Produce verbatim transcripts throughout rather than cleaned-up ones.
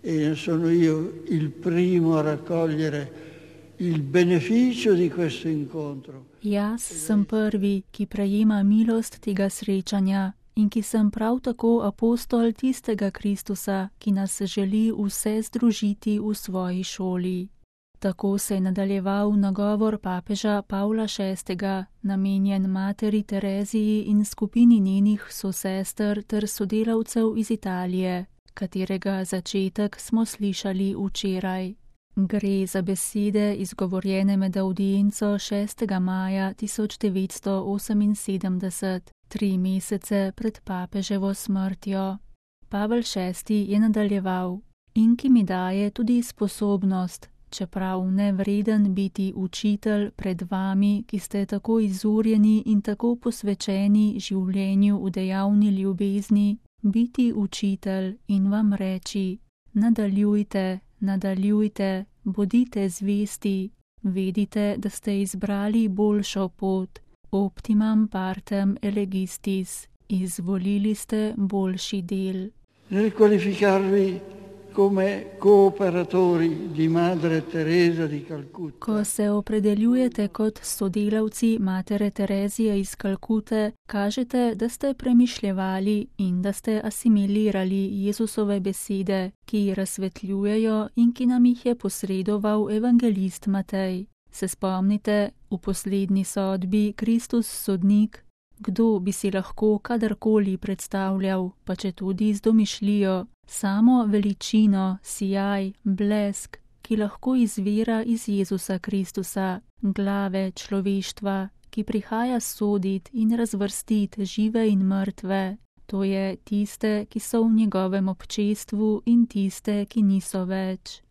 e sono io il primo a raccogliere il beneficio di questo incontro. Jaz sem prvi, ki prejema milost tega srečanja in ki sem prav tako apostol tistega Kristusa, ki nas želi vse združiti v svoji šoli. Tako se je nadaljeval nagovor papeža Pavla šestega, namenjen materi Tereziji in skupini njenih sosester ter sodelavcev iz Italije, katerega začetek smo slišali včeraj. Gre za besede izgovorjene med audienco šestega maja tisoč devetsto oseminsedemdeset, tri mesece pred papeževo smrtjo. Pavel šesti je nadaljeval: in ki mi daje tudi sposobnost, čeprav nevreden biti učitelj pred vami, ki ste tako izurjeni in tako posvečeni življenju v dejavni ljubezni, biti učitelj in vam reči: nadaljujte, nadaljujte, bodite zvesti, vedite, da ste izbrali boljšo pot, optimam partem elegistis, izvolili ste boljši del. Nel qualificarvi come cooperatori di Madre Teresa di Calcutta. Ko se opredeljujete kot sodelavci Matere Terezije iz Kalkute, kažete, da ste premišljevali in da ste asimilirali Jezusove besede, ki razsvetljujejo in ki nam jih je posredoval evangelist Matej. Se spomnite, v poslednji sodbi Kristus sodnik, kdo bi si lahko kadarkoli predstavljal, pa četudi z domišljijo, samo veličino, sijaj, blesk, ki lahko izvira iz Jezusa Kristusa, glave človeštva, ki prihaja sodit in razvrstit žive in mrtve, to je tiste, ki so v njegovem občestvu in tiste, ki niso več.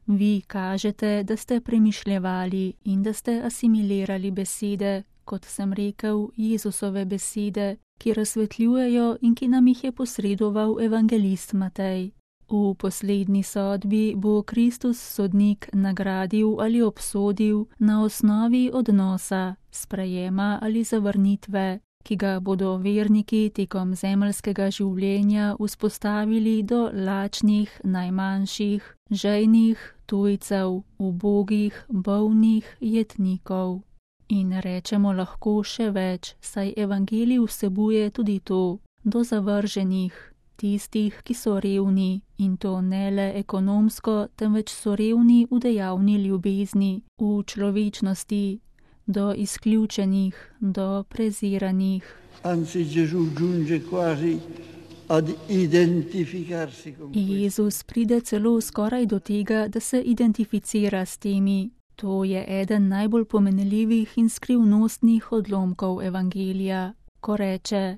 Vi kažete, da ste premišljevali in da ste asimilirali besede, kot sem rekel, Jezusove besede, ki razsvetljujejo in ki nam jih je posredoval evangelist Matej. V poslednji sodbi bo Kristus sodnik nagradil ali obsodil na osnovi odnosa, sprejema ali zavrnitve, ki ga bodo verniki tekom zemeljskega življenja vzpostavili do lačnih, najmanjših, žejnih, tujcev, ubogih, bolnih, jetnikov. In rečemo lahko še več, saj evangelij vsebuje tudi to, do zavrženih, tistih, ki so revni, in to ne le ekonomsko, temveč so revni v dejavni ljubezni, v človečnosti, do izključenih, do preziranih. Anzi, Gesù giunge quasi ad identificarsi con questo. Jezus pride celo skoraj do tega, da se identificira s temi. To je eden najbolj pomenljivih in skrivnostnih odlomkov evangelija, ko reče: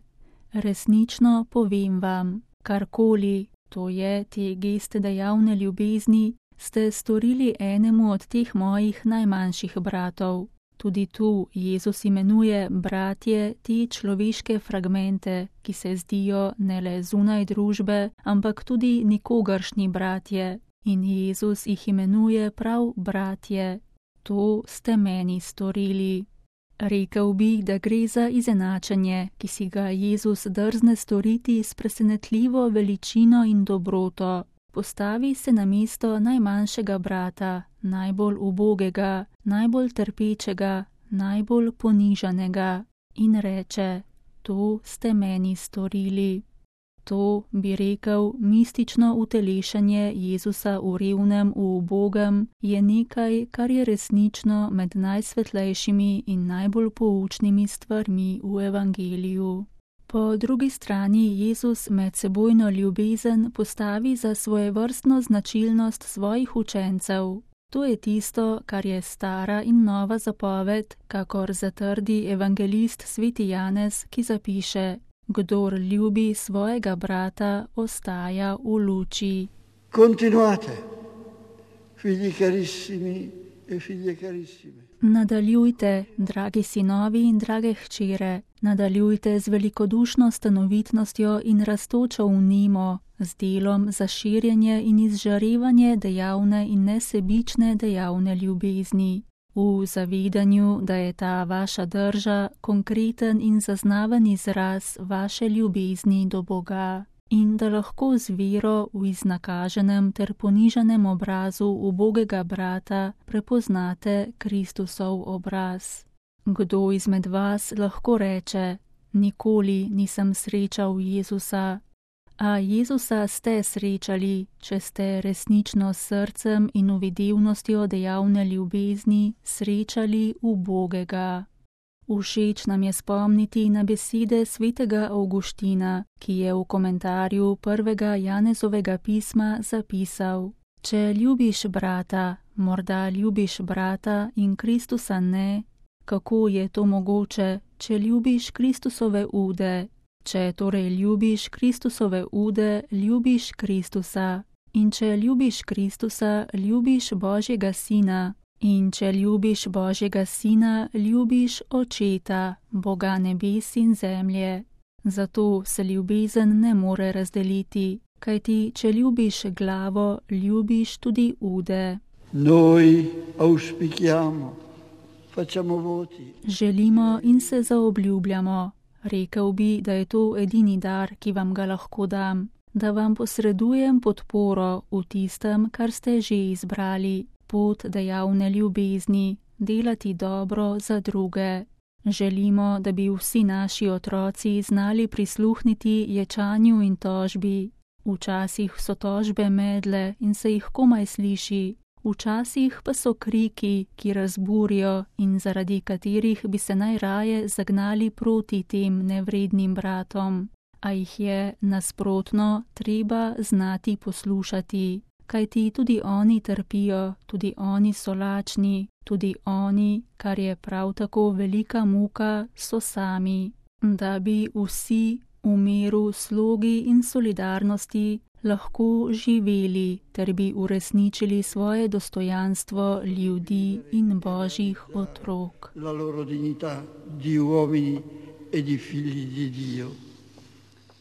resnično povem vam, karkoli, to je te geste dejavne ljubezni, ste storili enemu od teh mojih najmanjših bratov. Tudi tu Jezus imenuje bratje te človeške fragmente, ki se zdijo ne le zunaj družbe, ampak tudi nikogaršnji bratje. In Jezus jih imenuje prav bratje. To ste meni storili. Rekel bi, da gre za izenačenje, ki si ga Jezus drzne storiti s presenetljivo veličino in dobroto. Postavi se na mesto najmanjšega brata, najbolj ubogega, najbolj trpečega, najbolj ponižanega in reče: to ste meni storili. To, bi rekel, mistično utelešanje Jezusa v revnem, v ubogem, je nekaj, kar je resnično med najsvetlejšimi in najbolj poučnimi stvarmi v evangeliju. Po drugi strani Jezus medsebojno ljubezen postavi za svojevrstno značilnost svojih učencev. To je tisto, kar je stara in nova zapoved, kakor zatrdi evangelist sveti Janez, ki zapiše: kdor ljubi svojega brata, ostaja v luči. Continuate, figli carissimi e figlie carissime. Nadaljujte, dragi sinovi in drage hčere, nadaljujte z velikodušno stanovitnostjo in rastočo vnemo, z delom za širjenje in izžarevanje dejavne in nesebične dejavne ljubezni. V zavedanju, da je ta vaša drža konkreten in zaznaven izraz vaše ljubezni do Boga. in da lahko z vero v iznakaženem ter ponižanem obrazu ubogega brata prepoznate Kristusov obraz. Kdo izmed vas lahko reče: nikoli nisem srečal Jezusa? A Jezusa ste srečali, če ste resnično s srcem in uvidevnostjo dejavne ljubezni srečali ubogega. Všeč nam je spomniti na besede svetega Avguština, ki je v komentarju prvega Janezovega pisma zapisal: če ljubiš brata, morda ljubiš brata in Kristusa ne, kako je to mogoče, če ljubiš Kristusove ude? Če torej ljubiš Kristusove ude, ljubiš Kristusa. In če ljubiš Kristusa, ljubiš Božjega Sina. In če ljubiš Božjega Sina, ljubiš Očeta, Boga nebes in zemlje. Zato se ljubezen ne more razdeliti, kajti če ljubiš glavo, ljubiš tudi ude. Noi auspichiamo, facciamo voti. Želimo in se zaobljubljamo. Rekel bi, da je to edini dar, ki vam ga lahko dam, da vam posredujem podporo v tistem, kar ste že izbrali, pot dejavne ljubezni, delati dobro za druge. Želimo, da bi vsi naši otroci znali prisluhniti ječanju in tožbi. Včasih so tožbe medle in se jih komaj sliši, včasih pa so kriki, ki razburijo in zaradi katerih bi se najraje zagnali proti tem nevrednim bratom. A jih je nasprotno treba znati poslušati, kajti tudi oni trpijo, tudi oni so lačni, tudi oni, kar je prav tako velika muka, so sami. Da bi vsi v miru, slogi in solidarnosti lahko živeli, ter bi uresničili svoje dostojanstvo ljudi in Božjih otrok. La loro dignità di uomini e di figli di Dio.